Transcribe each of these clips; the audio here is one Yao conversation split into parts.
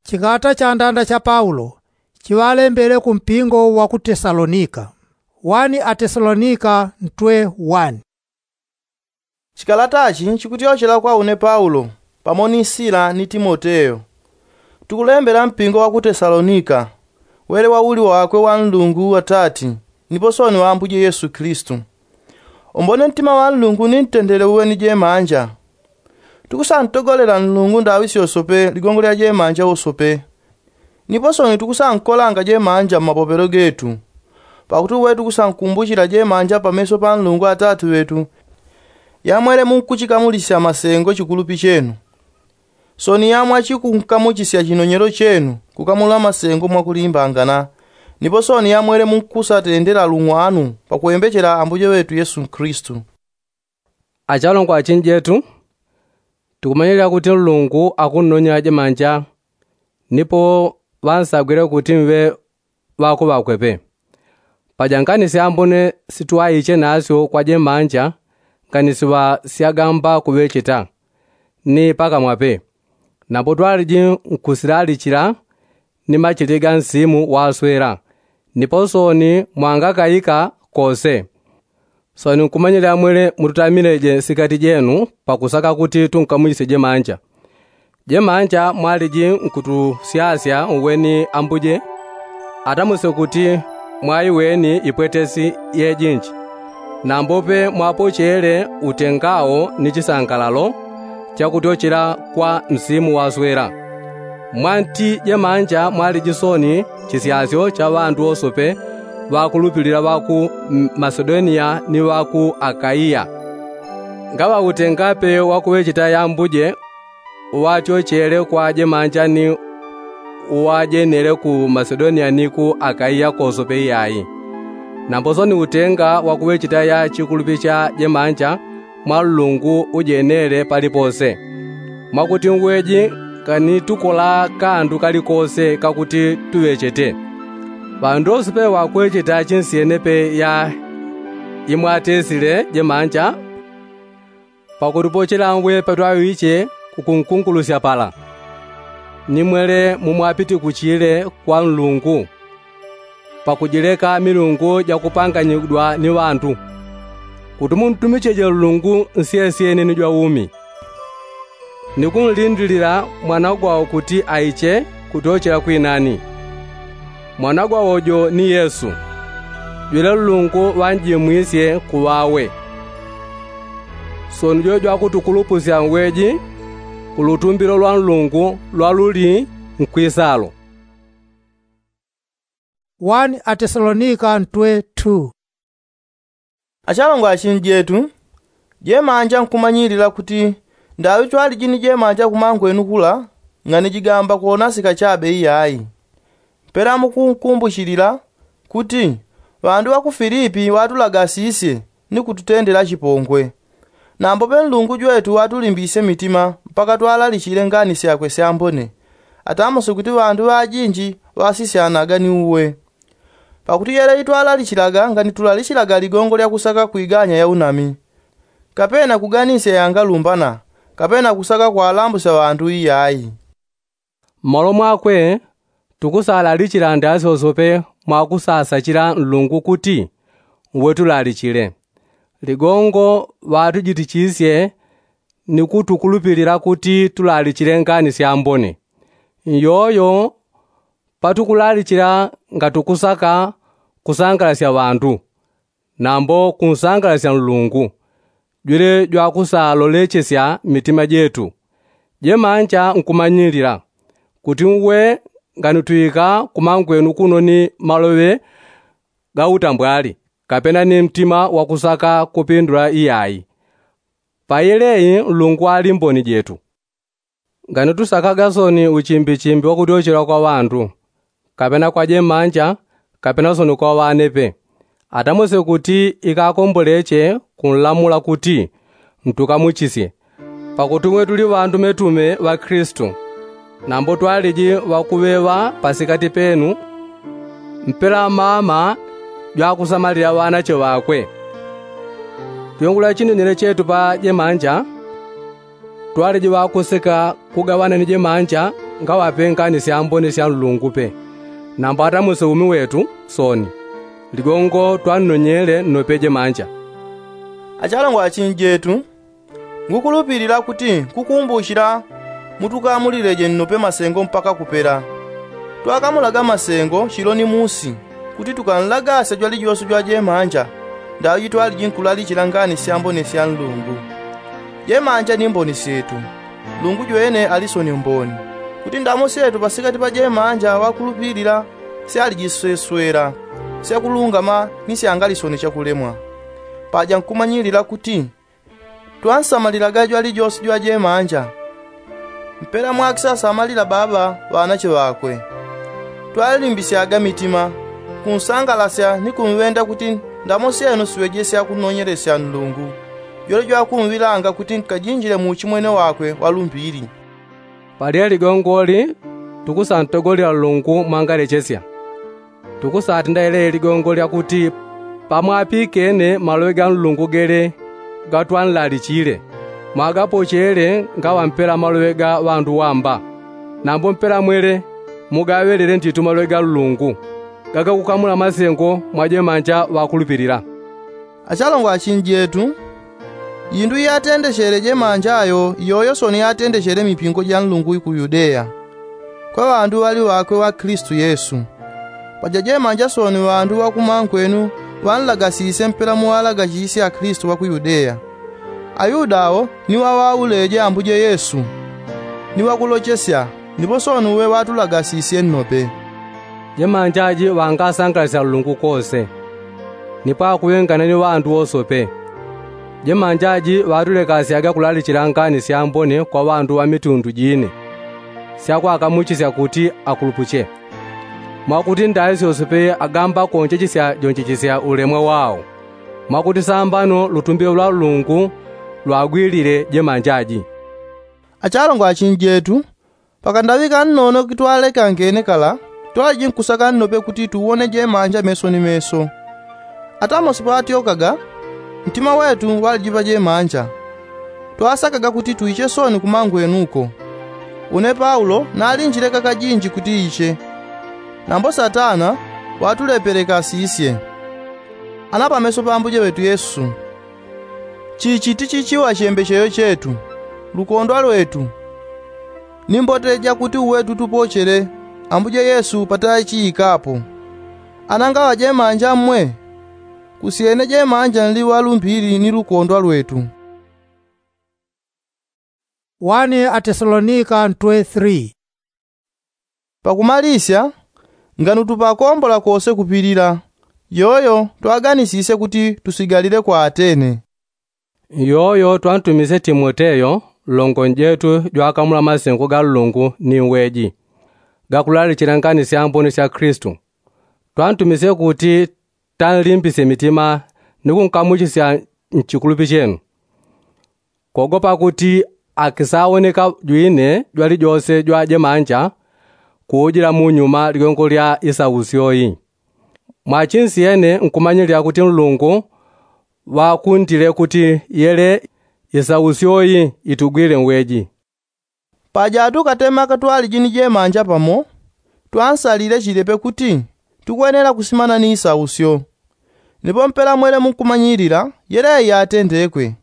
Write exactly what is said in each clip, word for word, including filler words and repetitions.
Chikata cha ndanda cha paulo chiŵalembele ku mpingo wa ku tesalonika. Wani atesalonika ntwe wani. Chikalatachi chikutyochela kwa une paulo, pamo ni sila ni timoteyo, tukulembela mpingo wa ku tesalonika, wele wa uli wakwe wa nlungu atati, nipo soni wa ambuje yesu kilisitu. Umbone ntima wa nlungu ni ntendele uwe ni jemanja. Tukusantogolela nlungu ndaŵi syosope ligongo lya jemanja wosope. Nipo soni tukusankolanga jemanja mmapopelo getu, pakuti uwe tukusankumbuchila jemanja pameso pa nlungu atati ŵetu, yamwele munkuchikamulisya masengo chikulupi chenu. Soni yamwachikunkamuchisya chinonyelo chenu kukamula masengo mwakulimbangana. Nipo soni yamwele munkusatendela lung'wanu pakwembechela ambuje ŵetu yesu kilisitu. Achalongwa achinjetu, tukumanyilila kuti nlungu akunnonyela jemanja. Nipo ŵansagwile kuti mwe ŵakuŵakwepe. Paja ngani syambone sitwaiche nasyo kwa jemanja, ngani siŵa syagamba kuŵecheta ni pakamwape. Nambo twaliji nkusilalichila ni machili ga nsimu waswela, nipo soni mwangakaika kose. Soni nkumanyilila mwele mututamileje sikati jenu pakusaka kuti tunkamuchisye jemanja. Jemanja mwaliji nkutusyasya uwe ni ambuje, atamuse kuti mwaiweni ipwetesi yejinji. Nambope mwapochele utengawo ni chisangalalo chakutyochela kwa msimu waswela. Mwanti jemanja mwaliji soni chisyasyo cha ŵandu wosope ŵakulupilila ŵa ku masedoniya ni ŵa ku akaiya. Ngaŵa utengape wakuŵecheta yambuje uŵatyochele kwa jemanja ni uŵajenele ku masedoniya ni ku akaiya kosope iyai. Nambo soni utenga wakuŵecheta ya chikulupi cha jemanja mwa nlungu ujenele palipose, mwakuti ngweji nganitukola kandu kalikose kakuti tuŵechete. Ŵandu wosope ŵakuŵecheta chinsyenepe ya imwatesile jemanja. Pakutupochela ngwe patwaŵiche kukunkungulusya pala, ni mwele mumwapitikuchile kwa nlungu, pakujileka milungu jakupanganyidwa ni ŵandu, kuti muntumicheje nlungu nsyesyene ni jwaumi, ni kunlindilila mwanagwawo kuti aiche kutyochela kwinani. Mwanagwawo jo ni yesu, jwele nlungu ŵanjimwisye kuŵawe. Soni jo jwakutukulupusya ngweji ku lutumbilo lwa nlungu lwaluli nkwisalo. Wani atesalonika ntwe two. Achalongwa achinjetu, jemanja nkumanyilila kuti ndaŵi twaliji ni jemanja kumangwenu kula, ng'anijigamba kwonasika chabe iyayi. Mpela mukunkumbuchilila kuti ŵandu ŵa ku filipi ŵatulagasisye ni kututendela chipongwe. Nambope nlungu jwetu ŵatulimbisye mitima mpaka twalalichile ngani syakwe syambone, atamuse kuti ŵandu ŵajinji ŵasisyanaga ni uwe. Pakuti yele itwalalichilaga ngani tulalichilaga ligongo lya kusaka kwiganya ya unami, kapena kuganisya yangalumbana, kapena kusaka kwalambusya ŵandu iyayi. Mmalo mwakwe tukusalalichila ndasyosope mwakusasachila nlungu kuti uwe tulalichile ligongo ŵatujitichisye ni kutukulupilila kuti tulalichile ngani syambone. Nyoyo patukulalichila ngatukusaka kusangalasya ŵandu, nambo kunsangalasya nlungu jwele jwakusalolechesya mitima jetu. Jemanja nkumanyilila kuti uwe nganutwika kumangwenu kuno ni maloŵe ga utambwali, kapena ni mtima wakusaka kupindula iyayi. Payeleyi nlungu ali mboni jetu. Ngani tusakaga soni uchimbichimbi wakutyochela kwa ŵandu, kapena kwa jemanja, kapena soni kwa ŵanepe, atamuse kuti ikakomboleche kunlamula kuti ntukamuchisye. Pakuti umwe tuli ŵandumetume ŵa kilisitu, nambo twaliji ŵakuŵeŵa pasikati penu. Mpela mama jwakusamalila ŵanache ŵakwe. Tuyungula chinenele chetu pa jemanja, twaliji ŵakuseka kugaŵana ni jemanja ngaŵape ngani syambone sya nlungu pe. Nambo atamuse umi wetu soni ligongo twannonyele nnope jemanja. Achalongwa achinjetu, ngukulupilila kuti nkukumbuchila mutukamulileje nnope masengo mpaka kupela. Twakamulaga masengo chilo ni musi kuti tukanlagasya jwalijose jwa jemanja ndaŵi jitwaliji nkulalichila ngani syambone sya nlungu. Jemanja ni mboni syetu. Nlungu jwene ali soni mboni kuti ndamo syetu pasikati pa jemanja ŵakulupilila syaliji seswela syakulungama ni syangalisoni chakulemwa. Paja nkumanyilila kuti twansamalilaga jwalijose jwa jemanja mpela mwakisasamalila baba ŵanache ŵakwe. Twalimbisyaga mitima kunsangalasya ni kumŵenda kuti ndamo syenu siŵeje syakunonyelesya nlungu jwele jwakumŵilanga kuti nkajinjile mu uchimwene wakwe wa lumbili. Palye ligongoli tukusantogolela nlungu mwangalechesya. Tukusatenda yele ligongo lya kuti pamwapikene maloŵe ga nlungu gele gatwanlalichile mwagapochele ngaŵa mpela maloŵe ga ŵandu wamba. Nambo mpela mwele mugaŵelele ntitu maloŵe ga nlungu gagakukamula masengo mwa jemanja ŵakulupilila. Achalongwa achinjetu, yindu iyatendechele jemanja yo iyoyo soni yatendechele mipingo ja nlungu ku yudeya kwa ŵandu ŵali ŵakwe ŵa klistu yesu. Paja jemanja soni ŵandu ŵakumankwenu ŵanlagasisye mpela muŵalagachisye aklistu ŵa ku yudeya. Ayuda awo ni ŵaŵauleje ambuje yesu ni ŵakulochesya. Nipo soni uwe ŵatulagasisye nnope. Jemanja ji ŵangasangalisya nlungu kose nipo akuŵengana ni ŵandu wosope. Jemanja ji ŵatulekasyaga kulalichila ngani syambone kwa ŵandu ŵa mitundu jine syakwakamuchisya kuti akulupuche. Mwakuti ndaŵi syosope agamba konjechisya jonjechisya ulemwa wao mwakuti sambano lutumbilo lwa nlungu lwagwilile jemanja ji. Achalongwa achinjetu, pakandaŵi kannono kitwalekangene kala twaliji nkusaka nnope kuti tuwone jemanja meso ni meso. Atamosi patyokaga ntima wetu ŵaliji pa jemanja. Twasakaga kuti tuiche soni kumangwenuko. Une paulo nalinjileka kajinji kuti iche. Nambo satana watulepelekasisye. Ana pameso pa ambuje ŵetu yesu, chichi tichichiŵa chembecheyo chetu, lukondwa lwetu, ni mbote jakuti uwe tutupochele ambuje yesu patachiikapo. Ana ngaŵa jemanja mmwe kusyene jemanja nli ŵalumbili ni lukondwa lwetu. Wani atesalonika ntwe three. Pakumalisya, nganu tupakombola kose kupilila, yoyo twaganisisye kuti tusigalile kwa atene. Yoyo twantumisye timoteyo nlongo njetu jwakamula masengo ga nlungu ni uweji gakulalichila ngani syambone sya klistu. Twantumisye kuti tanlimbisye mitima ni kunkamuchisya nchikulupi chenu. Kogopa kuti akisawoneka jwine jwalijose jwa jemanja kuujila munyuma ligongo lya isausyo yi. Mwachinsyene nkumanyilila kuti nlungu ŵakundile kuti yele isausyo yi itugwile nweji. Paja tukatema katwaliji ni jemanja pamo twansalile chilepe kuti tukwenela kusimana ni isausyo. Nipo mpela mwele munkumanyilila yele yatendekwe.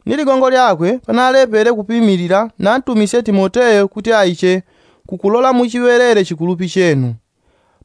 Ni ligongo lyakwe panalepele kupimilila nantumisye timoteyo kuti aiche kukulola muchiŵelele chikulupi chenu.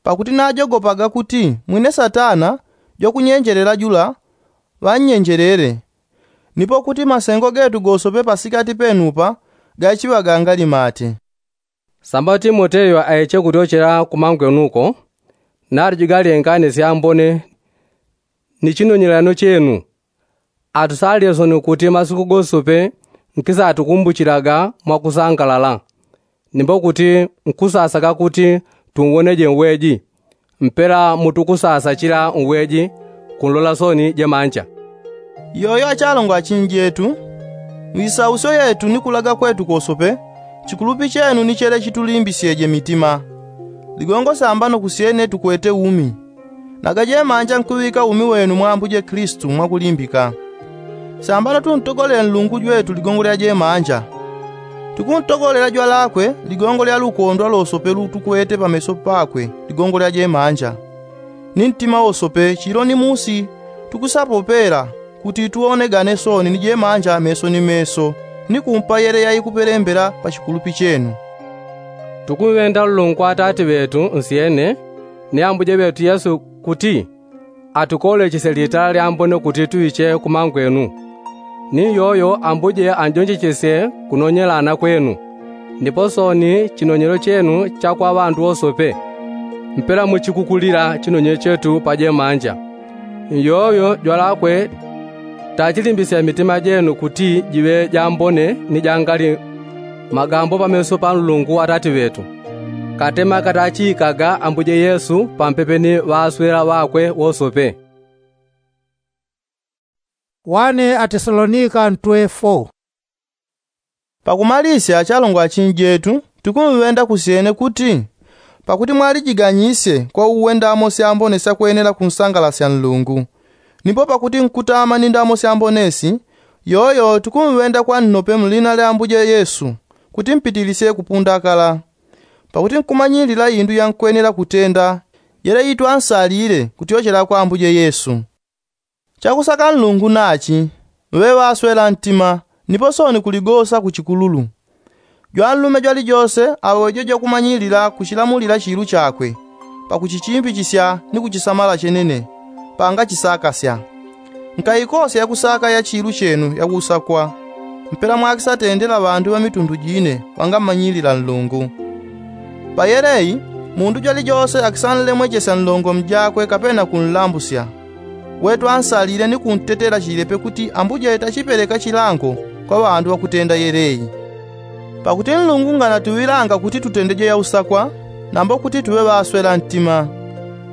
Pakuti najogopaga kuti mwine satana jwakunyenjelela jula ŵannyenjelele. Nipo kuti masengo getu gosope pasikati penupa gachiŵaga ngalimate. Samba timoteyo aiche kutyochela kumangwenuko naliji galengane syambone ni chinonyelelano chenu. Atusalile soni kuti masiku gosope nkisatukumbuchilaga mwakusangalala. Nimbo kuti nkusasaka kuti tunwoneje nweji mpela mutukusasachila nweji kunlola soni jemanja. Yoyo achalongwa achinjetu, mwisausyo yetu ni kulaga kwetu kosope chikulupi chenu ni chele chitulimbisyeje mitima. Ligongo sambano kusyene tukwete umi. Naga jemanja nkuŵika umi wenu mwa ambuje klistu mwakulimbika. Sambano tuntogolele nlungu jwetu ligongo lya jemanja. Tukuntogolela jwalakwe ligongo lya lukondwa losope lutukwete pameso pakwe, ligongo lya jemanja ni ntima wosope chilo ni musi. Tukusapopela kuti tuwonegane soni ni jemanja meso ni meso, ni kumpa yele yaikupelembela pa chikulupi chenu. Tukumwenda nlungu atati ŵetu nsyene, ni ambuje ŵetu yesu kuti atukolechesye litala lyambone kuti tuiche kumangwenu. Ni yoyo ambuje anjonjechesye kunonyelana kwenu, nipo soni chinonyelo chenu cha kwa ŵandu wosope, mpela muchikukulila chinonyelo chetu pa jemanja. Yoyo jwalakwe tachilimbisya mitima jenu kuti jiŵe jambone ni jangali magambo pameso pa nlungu atati ŵetu, katema katachiikaga ambuje yesu pampepe ni ŵaswela ŵakwe wosope. Wane atesalonika ntwe fo. Pakumalisya achalongo achinjetu, tukumwenda kusyene kuti pakuti mwalijiganyisye kwa uwendamo syambone syakwenela kunsangalasya nlungu, nipo pakuti nkutama ni ndamo syambone si, yoyo tukumwenda kwa nnope mlina lya ambuje yesu, kuti mpitilisye kupundakala. Pakuti nkumanyilila indu yankwenela kutenda, yele itwansalile kutyochela kwa ambuje yesu. Chakusaka nlungu nachi, ŵe ŵaswela ntima, nipo soni kuligosa ku chikululu. Jwanlume jwalijose aŵe jo jwakumanyilila kuchilamulila chilu chakwe, pakuchichimbichisya ni kuchisamala chenene, pangachisakasya. Nkaikosya yakusaka ya chilu chenu yakusakwa, mpela mwakisatendela ŵandu ŵa mitundu jine ŵangamanyilila nlungu. Payeleyi, mundu jwalijose akisanlemwechesya nlongo mjakwe kapena kunlambusya, we twansalile ni kuntetela chilepe kuti ambuje tachipeleka chilango kwa ŵandu ŵakutenda yeleyi. Pakuti nlungu nganatuŵilanga kuti tutendeje yausakwa, nambo kuti tuŵe ŵaswela ntima.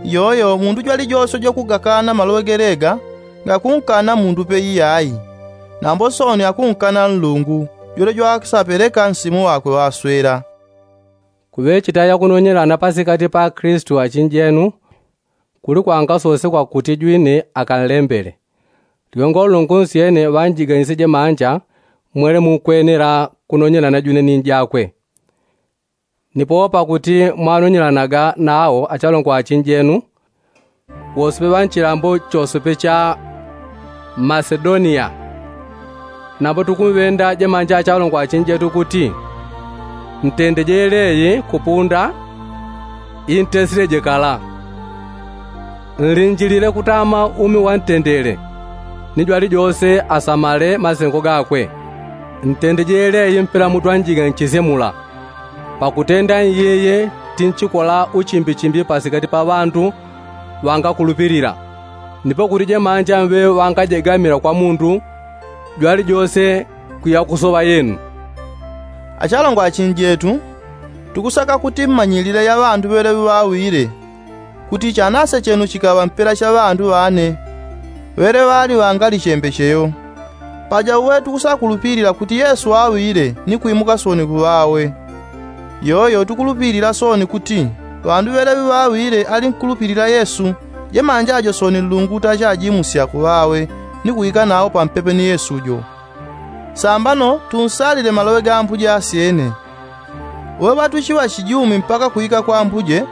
Yoyo mundu jwalijose jwakugakana maloŵe gelega, ngakunkana mundu pe iyayi, nambo soni akunkana nlungu, jwele jwakisapeleka nsimu wakwe ŵaswela. Kuŵechita yakunonyelana pasikati pa akristu achinjenu, kuli kwangasosekwa kuti jwine akanlembele. Ligongo nlungu nsyene ŵanjiganisye jemanja, mwele mukwenela kunonyelana jwine ni njakwe. Nipo pakuti mwanonyelanaga nawo achalongo achinjenu, wosope ŵa nchilambo chosope cha masedoniya. Nambo tukumwenda jemanja achalongo achinjetu kuti, ntendeje yeleyi kupunda intesileje kala. Nlinjilile kutama umi wantendele, ni jwalijose asamale masengo gakwe. Ntendeje yeleyi mpela mutwanjiganchisye mula. Pakutenda nyiyi tinchikola uchimbichimbi pasikati pa ŵandu ŵangakulupilila. Nipo kuti jemanja mwe ŵangajegamila kwa mundu jwalijose kuyakusoŵa yenu. Achalongo achinjetu, tukusaka kuti mmanyilile ya ŵandu ŵeleŵi ŵawile, kuti chanase chenu chikaŵa mpela cha ŵandu ŵane ŵele ŵali ŵangali chembecheyo. Paja uwe tukusakulupilila kuti yesu waŵile ni kwimuka soni kuŵawe. Yoyo tukulupilila soni kuti ŵandu ŵeleŵi ŵawile alinkulupilila yesu, jemanja ajo soni nlungu tachajimusya kuŵawe ni kuika nawo pampepe ni yesu jo. Sambano tunsalile maloŵe ga ambuje asyene. Uwe ŵatuchiŵa chijumi mpaka kuika kwa ambuje,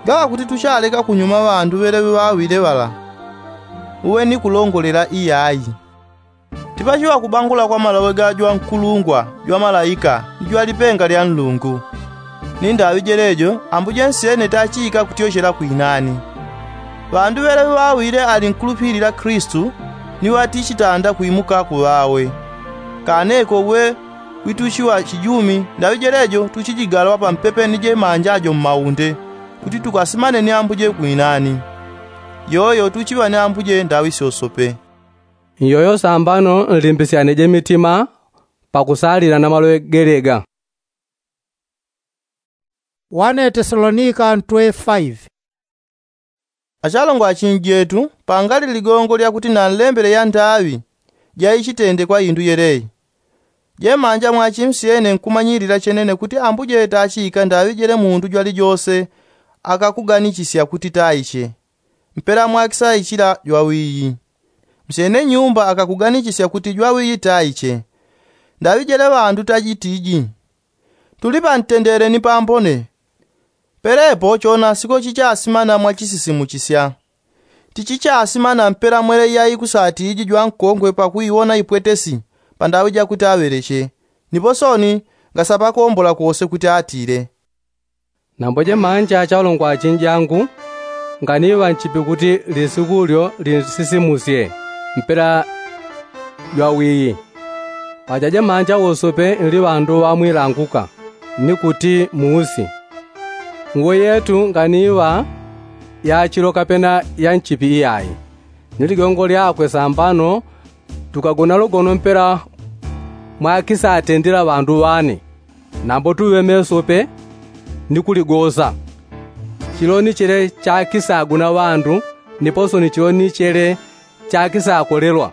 gaŵa kuti tuchaleka kunyuma ŵandu ŵeleŵi ŵawile ŵala. Uwe ni kulongolela iyayi. Tipachiŵa kubangula kwa maloŵe ga jwankulungwa jwamalaika ni jwalipenga lya nlungu. Ni ndaŵi jelejo ambuje nsyene tachiika kutyochela kwinani. Ŵandu ŵeleŵi ŵawile alinkulupilila kristu, ni ŵatichitanda kwimuka kuŵawe. Kaneko uwe wituchiŵa chijumi ndaŵi jelejo tuchijigalwa pampepe ni jemanja jo mmaunde, kuti tukasimane ni ambuje kwinani. Yoyo tuchiŵa ni ambuje ndaŵi syosope. Nyoyo sambano nlimbisyaneje mitima pakusalila na maloŵe gelega. Wane tesalonika ntwe faive. Achalongo achinjetu, pangali ligongo lyakuti nanlembele ya ndaŵi jaichitendekwa indu yeleyi. Jemanja mwachimsyene nkumanyilila chenene kuti ambuje tachiika ndaŵi jele mundu jwalijose akakuganichisya kuti taiche. Mpela mwakisaichila jwawiyi. Msyene nyumba akakuganichisya kuti jwawiyi taiche. Ndaŵi jele ŵandu tajitiji, tuli pantendele ni pambone. Pelepo chonasiko chichasimana mwachisisimuchisya. Tichichasimana mpela mwele iyai kusatiji jwankongwe pakuiwona ipwetesi pandaŵi jakuti aŵeleche. Nipo sooni ngasapakombola kose kuti atile. Nambo jemanja achalongwa achinjangu, nganiŵa nchipi kuti lisiku lyo linsisimusye mpela jwawiyi. Paja jemanja wosope nli ŵandu ŵamwilanguka ni kuti muusi. Nwe yetu nganiŵa yachilo kapena yanchipi iyayi. Ni ligongo lyakwe sambano tukagona lugono mpela mwakisatendela ŵandu ŵane. Nambo tuŵe mesope ni kuligosa. Chilo ni chele chakisaguna ŵandu, nipo sooni chilo ni chele chakisakolelwa.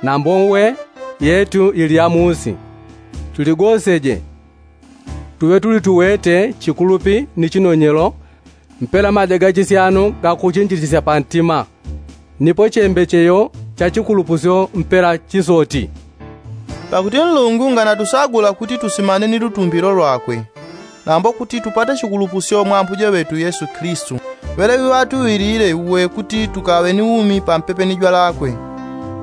Nambo nwe yetu ili ya muusi. Tuligoseje tuŵe tuli tuwete chikulupi ni chinonyelo mpela maja gachisyano gakuchinjichisya pantima. Nipo chembecheyo cha chikulupusyo mpela chisoti. Pakuti nlungu nganatusagula kuti tusimane ni lutumbilo lwakwe, nambo kuti tupate chikulupusyo mwa ambuje ŵetu yesu kilisitu, ŵeleŵi ŵatuŵilile uwe kuti tukaŵe ni umi pampepe ni jwalakwe.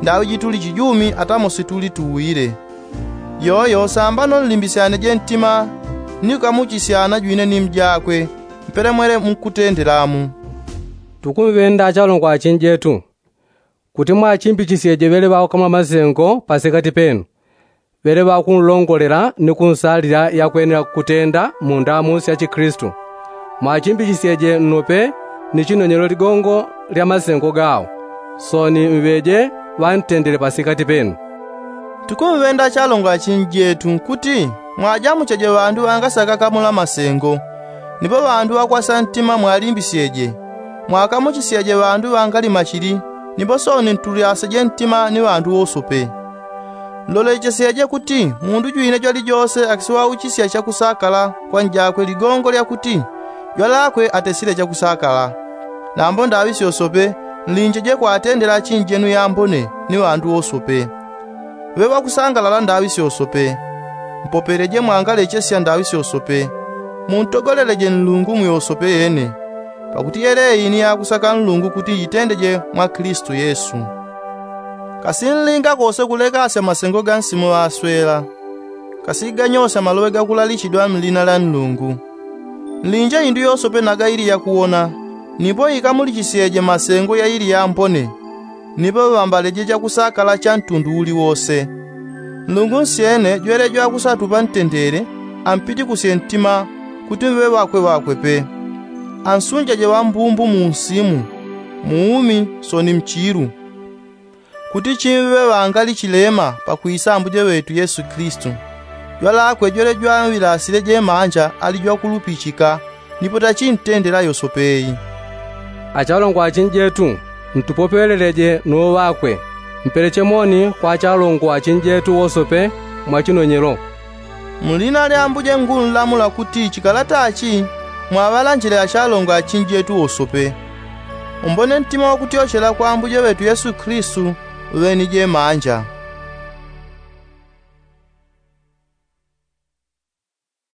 Ndaŵi jituli chijumi atamo situli tuwile. Yoyo sambano nlimbisyaneje ntima ni kukamuchisyana jwine ni mjakwe mpele mwele mukutendelamu. Tukumŵenda achalongwa achinjetu, kuti mwachimbichisyeje ŵele ŵakamwa masengo pasikati penu, ŵele ŵakunlongolela ni kunsalila yakwenela kutenda mu ndamusi ya chikilisitu. Mwachimbichisyeje nnope ni chinonyelo ligongo lya masengo gao. Sooni mŵeje ŵantendele pasikati penu. Tukumŵenda achalongwa achinjetu kuti mwajamucheje ŵandu ŵangasakakamula masengo, nipo ŵandu ŵakwasa ntima mwalimbisyeje. Mwakamuchisyeje ŵandu ŵangali machili, nipo sooni ntulyaseje ntima ni ŵandu wosope. Nlolechesyeje kuti mundu jwine jwalijose akisiŵauchisya chakusakala kwa njakwe ligongo lya kuti jwalakwe atesile chakusakala. Nambo ndaŵi syosope nlinjeje kwatendela achinjenu yambone ni ŵandu wosope. Ŵe ŵakusangalala ndaŵi syosope. Mpopeleje mwangalechesya ndaŵi syosope. Muntogoleleje nlungu mu yosope yene. Pakuti yeleyi ni yakusaka nlungu kuti yitendeje mwa kilisitu yesu. Kasi nlinga kose kulekasya masengo ga nsimu ŵaswela. Kasi ganyosya maloŵe gakulalichidwa mlina lya nlungu. Nlinje indu yosope naga ili yakuwona, nipo ikamulichisyeje masengo ya ili yambone. Nipo ŵambaleje chakusakala cha ntundu uliwose. Nlungu nsyene jwele jwakusatupa ntendele, ampitikusye ntima kuti mŵe ŵakwe ŵakwe pe. Ansunjeje ŵambumbu mu nsimu, mu umi sooni mchilu, kuti chimŵe ŵangali chilema pakwisa ambuje ŵetu yesu kilisitu. Jwalakwe jwele jwaŵilasile jemanja ali jwakulupichika, nipo tachintendela yosopeyi. Achalongwa achinjetu, ntupopeleleje nuŵakwe, mpeleche moni kwa achalongwa achinjetu wosope mwa chinonyelo. Mlina lya ambuje ngunlamula kuti chikalata achi mwaŵalanjile achalongwa achinjetu wosope. Umbone ntima wakutyochela kwa ambuje ŵetu yesu kilisitu, ŵeni jemanja.